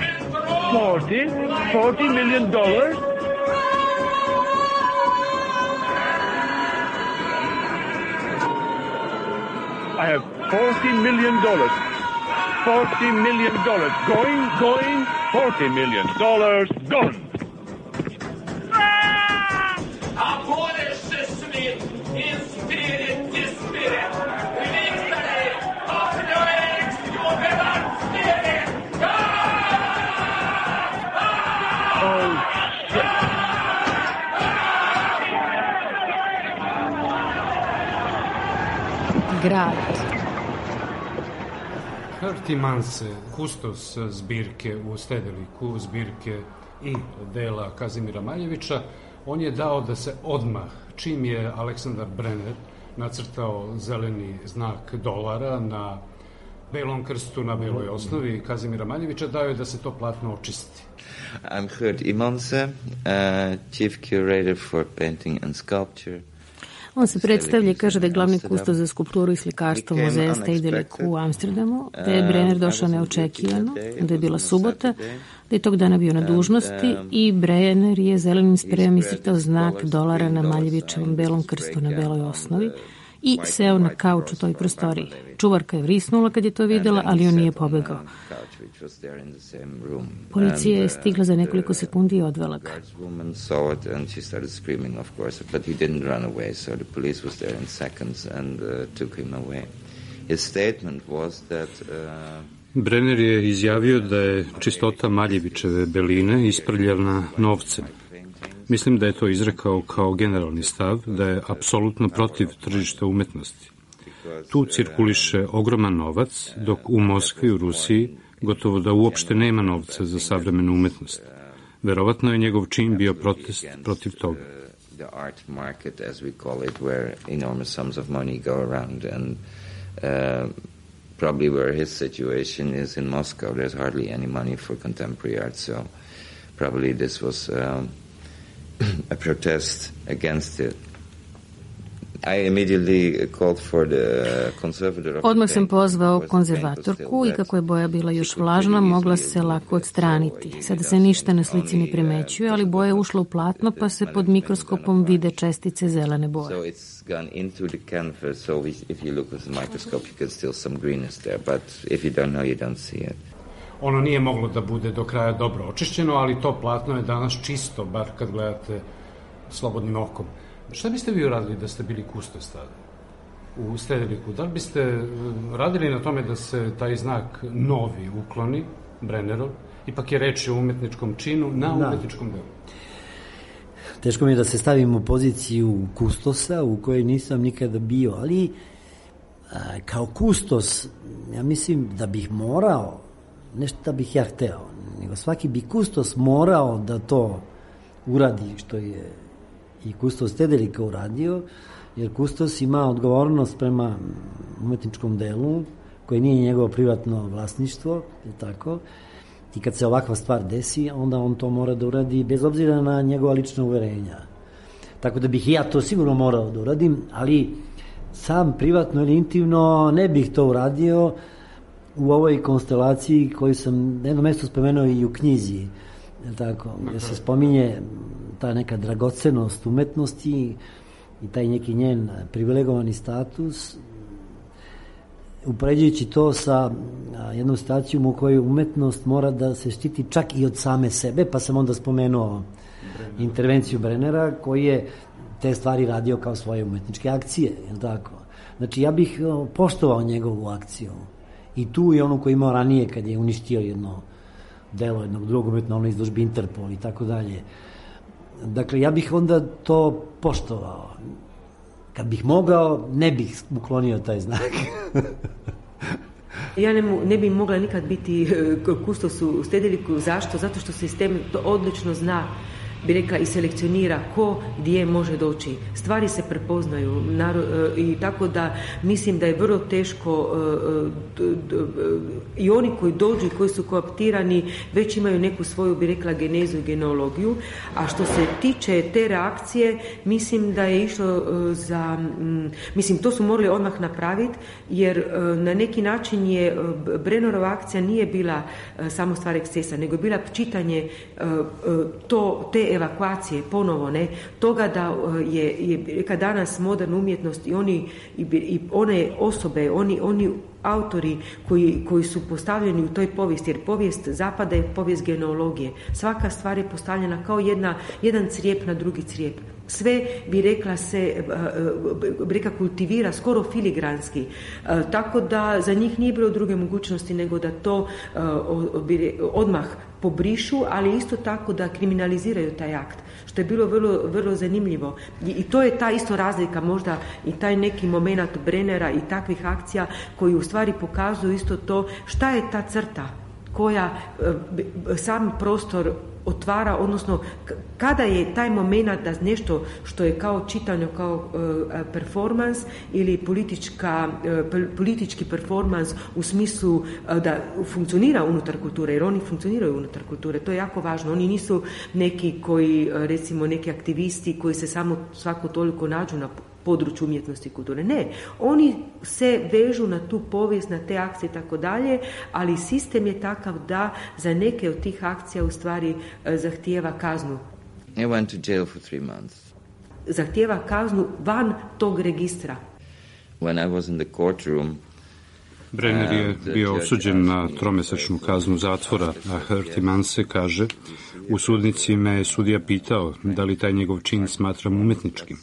and throw... Forty? Forty million dollars? I have forty million dollars. Forty million dollars. Going, going, forty million dollars gone. Abolish the Smith in spirit, this spirit. Victory of the ex-human spirit. Oh, shit. Grad. Hertie Manse, kustos zbirke u Stedeliku, zbirke i dela Kazimira Maljevića, on je dao da se odmah, čim je Aleksandar Brenner nacrtao zeleni znak dolara na Belom krstu na beloj osnovi Kazimira Maljevića dao je da se to platno očisti. I'm Gert Imanse, uh, Chief Curator for Painting and Sculpture. On se predstavlja i kaže da je glavni kustos za skulpturu i slikarstvo muzeja Stedelijk u Amsterdamu, da je Brenner došao neočekivano, da je bila subota, da je tog dana bio na dužnosti i Brenner je zelenim sprejom iscrtao znak dolara na Maljevićevom belom krstu na beloj osnovi i seo na kauč u toj prostoriji. Čuvarka je vrisnula kad je to videla, ali on nije pobegao. Policija je stigla za nekoliko sekundi i odvela ga. Brenner je izjavio da je čistota Maljevićeve beline isprljavna novcem. Mislim da je to izrekao kao generalni stav, da je apsolutno protiv tržišta umetnosti. Tu cirkuliše ogroman novac, dok u Moskvi, u Rusiji, gotovo da uopšte nema novca za savremenu umetnost. Verovatno je njegov čin bio protest protiv toga. The art market, as we call it, where enormous sums of money go around, and uh, probably where his situation is in Moscow, there's hardly any money for contemporary art, so probably this was um, a protest against it. I immediately called for the conservator of Odmah sam pozvao konzervatorku i kako je boja bila još vlažna, mogla se lako odstraniti. Sada se ništa na slici ne primećuje, ali boja je ušla u platno pa se pod mikroskopom vide čestice zelene boje. So it's gone into the canvas, so if you look with the microscope you can still some greenness there, but if you don't know you don't see it. Ono nije moglo da bude do kraja dobro očišćeno, ali to platno je danas čisto, bar kad gledate slobodnim okom. Šta biste vi uradili da ste bili kustos tada u Stedeliku? Da li biste radili na tome da se taj znak novi ukloni, Brennerov? Ipak je reč o umetničkom činu na umetničkom delu. Teško mi je da se stavim u poziciju kustosa u kojoj nisam nikada bio, ali a, kao kustos, ja mislim da bih morao, nešto da bih ja hteo, nego svaki bi kustos morao da to uradi što je i kustos Stedelika uradio, jer kustos ima odgovornost prema umetničkom delu, koje nije njegovo privatno vlasništvo, je tako, i kad se ovakva stvar desi, onda on to mora da uradi bez obzira na njegova lična uverenja. Tako da bih i ja to sigurno morao da uradim, ali sam privatno ili intimno ne bih to uradio u ovoj konstelaciji koju sam na jednom mestu spomenuo i u knjizi, je tako, gdje se spominje ta neka dragocenost umetnosti i taj neki njen privilegovani status, upoređujući to sa jednom situacijom u kojoj umetnost mora da se štiti čak i od same sebe, pa sam onda spomenuo intervenciju Brennera koji je te stvari radio kao svoje umetničke akcije, je tako? Znači ja bih poštovao njegovu akciju i tu i onu koju imao ranije kad je uništio jedno delo jednog drugog umetno, ono izložbi Interpol i tako dalje. Dakle, ja bih onda to poštovao. Kad bih mogao, ne bih uklonio taj znak. Ja ne, ne bi mogla nikad biti kustos u Stedeliku. Zašto? Zato što sistem to odlično zna, bi rekla, i selekcionira ko gdje može doći. Stvari se prepoznaju i tako da mislim da je vrlo teško i oni koji dođu i koji su kooptirani već imaju neku svoju, bi rekla, genezu i genealogiju, a što se tiče te reakcije, mislim da je išlo za, mislim to su morali odmah napraviti, jer na neki način je Brennerova akcija nije bila samo stvar ekscesa, nego je bila čitanje to, te evakuacije ponovo, ne, toga da je, je kad danas moderna umjetnost i oni i, i one osobe, oni, oni autori koji, koji su postavljeni u toj povijesti, jer povijest zapada je povijest genealogije. Svaka stvar je postavljena kao jedna, jedan crijep na drugi crijep. Sve, bi rekla, se bi rekla, kultivira skoro filigranski. Tako da za njih nije bilo druge mogućnosti nego da to odmah pobrišu, ali isto tako da kriminaliziraju taj akt, što je bilo vrlo, vrlo zanimljivo. I, i to je ta isto razlika možda i taj neki moment Brennera i takvih akcija koji u stvari pokazuju isto to šta je ta crta koja sam prostor otvara, odnosno kada je taj moment da nešto što je kao čitanje, kao uh, performans ili politička, uh, politički performans u smislu uh, da funkcionira unutar kulture, jer oni funkcioniraju unutar kulture, to je jako važno. Oni nisu neki koji, uh, recimo neki aktivisti koji se samo svako toliko nađu na području umjetnosti i kulture. Ne, oni se vežu na tu povijest, na te akcije i tako dalje, ali sistem je takav da za neke od tih akcija u stvari zahtijeva kaznu. I went to jail for three months. Zahtijeva kaznu van tog registra. When I was in the courtroom, Brenner je bio osuđen na tromesečnu kaznu zatvora, a Hertiman se kaže, u sudnici me je sudija pitao da li taj njegov čin smatram umetničkim.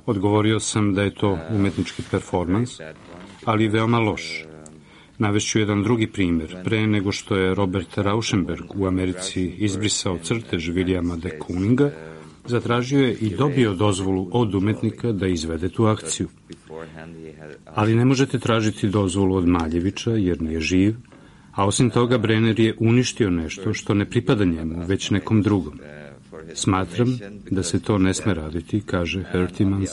Odgovorio sam da je to umetnički performans, ali veoma loš. Navešću jedan drugi primjer. Pre nego što je Robert Rauschenberg u Americi izbrisao crtež Williama de Kooninga, zatražio je i dobio dozvolu od umetnika da izvede tu akciju. Ali ne možete tražiti dozvolu od Maljevića jer nije živ, a osim toga Brenner je uništio nešto što ne pripada njemu, već nekom drugom. Smatram da se to ne sme raditi, kaže Hertimans.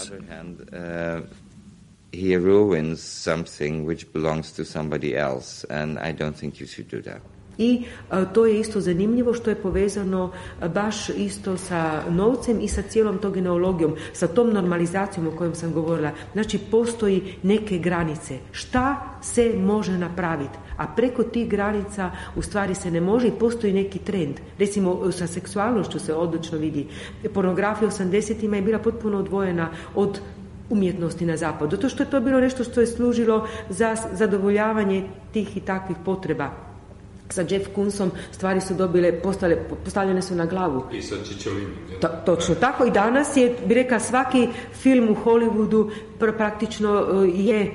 He ruins something which belongs to somebody else, and I don't think you should do that. I a, to je isto zanimljivo što je povezano a, baš isto sa novcem i sa cijelom tog genealogijom, sa tom normalizacijom o kojom sam govorila. Znači, postoji neke granice. Šta se može napraviti? A preko tih granica u stvari se ne može i postoji neki trend. Recimo, sa seksualnošću se odlično vidi. Pornografija osamdesetima je bila potpuno odvojena od umjetnosti na zapadu. Zato što je to bilo nešto što je služilo za zadovoljavanje tih i takvih potreba. Sa Jeff Koonsom stvari su dobile, postale, postavljene su na glavu. I sa Čičolinom. Ta, točno tako. I danas je, bi rekla, svaki film u Hollywoodu pr- praktično je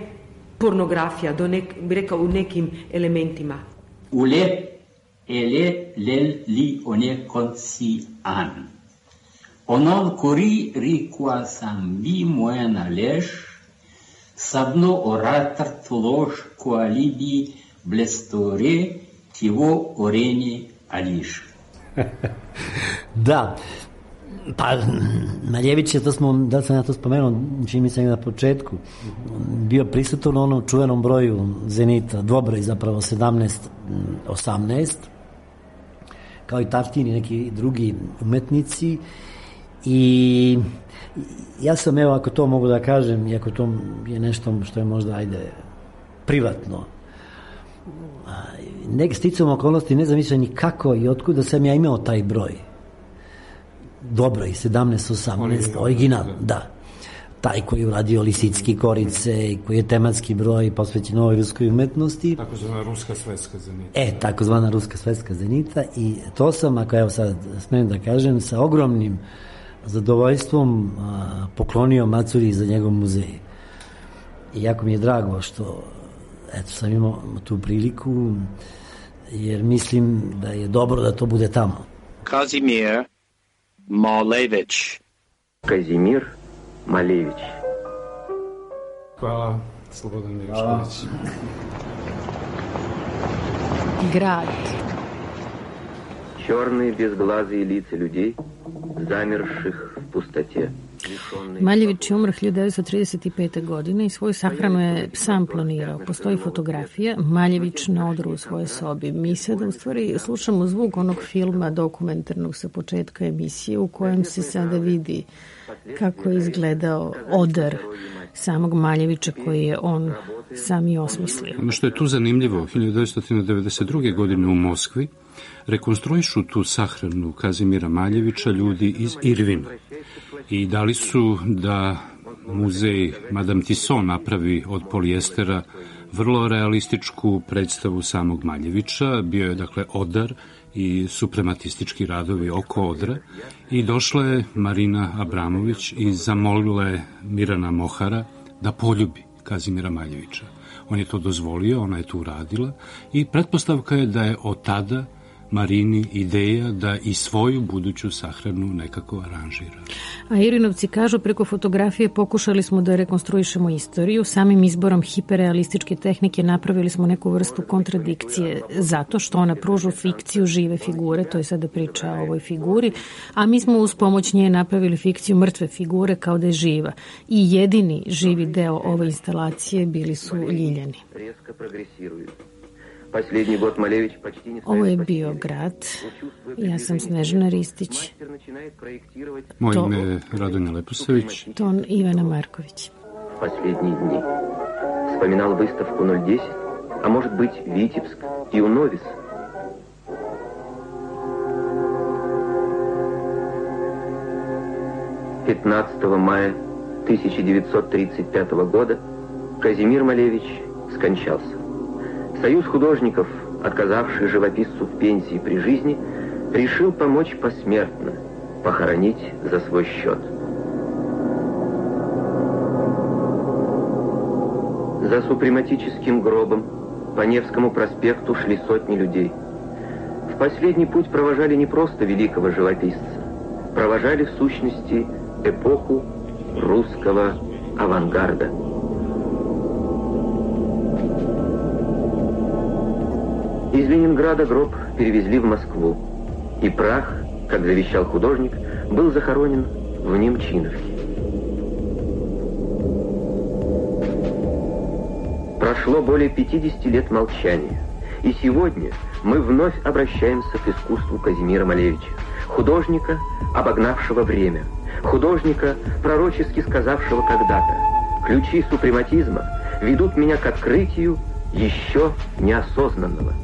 pornografija, do nek, bi rekao, u nekim elementima. Ule ele lel li one konsi an. Onon kuri rikua sambi moja naleš, sabno oratar tloš koalibi blestore tivo oreni ališ. Da, pa Maljević je, to smo, da sam ja to spomenuo, čini mi se na početku, bio prisutan u onom čuvenom broju Zenita, dvobroj zapravo sedamnaest osamnaest, kao i Tartin i neki drugi umetnici. I ja sam, evo, ako to mogu da kažem, iako to je nešto što je možda, ajde, privatno, nek sticam okolnosti, ne znam više ni kako i otkuda sam ja imao taj broj. Dobro, i sedamnaest osamnaest, original, da. Taj koji je uradio Lisicki Korice, koji je tematski broj posvećen novoj ruskoj umetnosti. Takozvana ruska svetska zenita. E, takozvana ruska svetska zenita. I to sam, ako evo sad smijem da kažem, sa ogromnim zadovoljstvom a, poklonio Macuri za njegov muzej. I jako mi je drago što eto, sam imao tu priliku, jer mislim da je dobro da to bude tamo. Kazimir Malevich. Kazimir Malevich. Hvala, Slobodan Milošević. Grad. Черные безглазые лица людей, замерших в пустоте. Maljević je umro hiljadu devetsto trideset pete. godine i svoju sahranu je sam planirao. Postoji fotografija, Maljević na odru u svojoj sobi. Mi sada u stvari slušamo zvuk onog filma dokumentarnog sa početka emisije u kojem se sada vidi kako je izgledao odar samog Maljevića koji je on sam i osmislio. Ono što je tu zanimljivo, hiljadu devetsto devedeset druge. godine u Moskvi rekonstruišu tu sahranu Kazimira Maljevića ljudi iz Irvina i dali su da muzej Madame Tisson napravi od polijestera vrlo realističku predstavu samog Maljevića. Bio je dakle odar i suprematistički radovi oko odra i došla je Marina Abramović i zamolila je Mirana Mohara da poljubi Kazimira Maljevića. On je to dozvolio, ona je to uradila i pretpostavka je da je od tada Marini ideja da i svoju buduću sahranu nekako aranžira. A Irinovci kažu, preko fotografije pokušali smo da rekonstruišemo istoriju, samim izborom hiperrealističke tehnike napravili smo neku vrstu kontradikcije zato što ona pruža fikciju žive figure, to je sada priča o ovoj figuri, a mi smo uz pomoć nje napravili fikciju mrtve figure kao da je živa. I jedini živi deo ove instalacije bili su Ljiljani. Ovo je bio grad. Ja sam Snežana Ristić. Moje ime je Radonja Leposavić. Ton Ivana Marković. Последние дни. Вспоминал выставку ноль десять, а может быть Витебск и Уновис. пятнадцатого мая тысяча девятьсот тридцать пятого года Казимир Малевич скончался. Союз художников, отказавший живописцу в пенсии при жизни, решил помочь посмертно, похоронить за свой счет. За супрематическим гробом по Невскому проспекту шли сотни людей. В последний путь провожали не просто великого живописца, провожали в сущности эпоху русского авангарда. Из Ленинграда гроб перевезли в Москву, и прах, как завещал художник, был захоронен в Немчиновке. Прошло более пятидесяти лет молчания, и сегодня мы вновь обращаемся к искусству Казимира Малевича, художника, обогнавшего время, художника, пророчески сказавшего когда-то: «Ключи супрематизма ведут меня к открытию еще неосознанного».